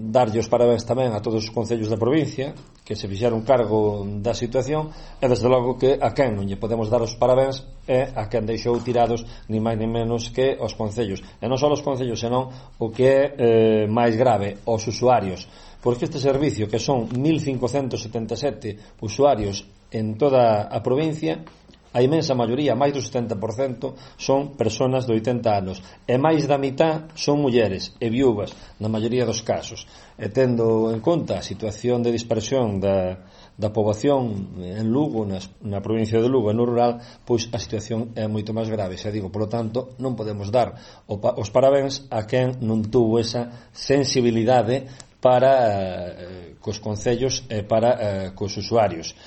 darlle os parabéns tamén a todos os concellos da provincia que se fixeron cargo da situación, e desde logo que a quen non lle podemos dar os parabéns é a quen deixou tirados ni máis ni menos que os concellos, e non só os concellos, senón o que é máis grave, os usuarios, porque este servicio, que son 1577 usuarios en toda a provincia, a imensa maioría, máis do 70%, son persoas de 80 anos, e máis da mitad son mulleres e viúvas na maioría dos casos, e tendo en conta a situación de dispersión da poboación en Lugo, na provincia de Lugo e no rural, pois a situación é moito máis grave, xa digo, polo tanto non podemos dar os parabéns a quen non tuvo esa sensibilidade para cos concellos e para cos usuarios.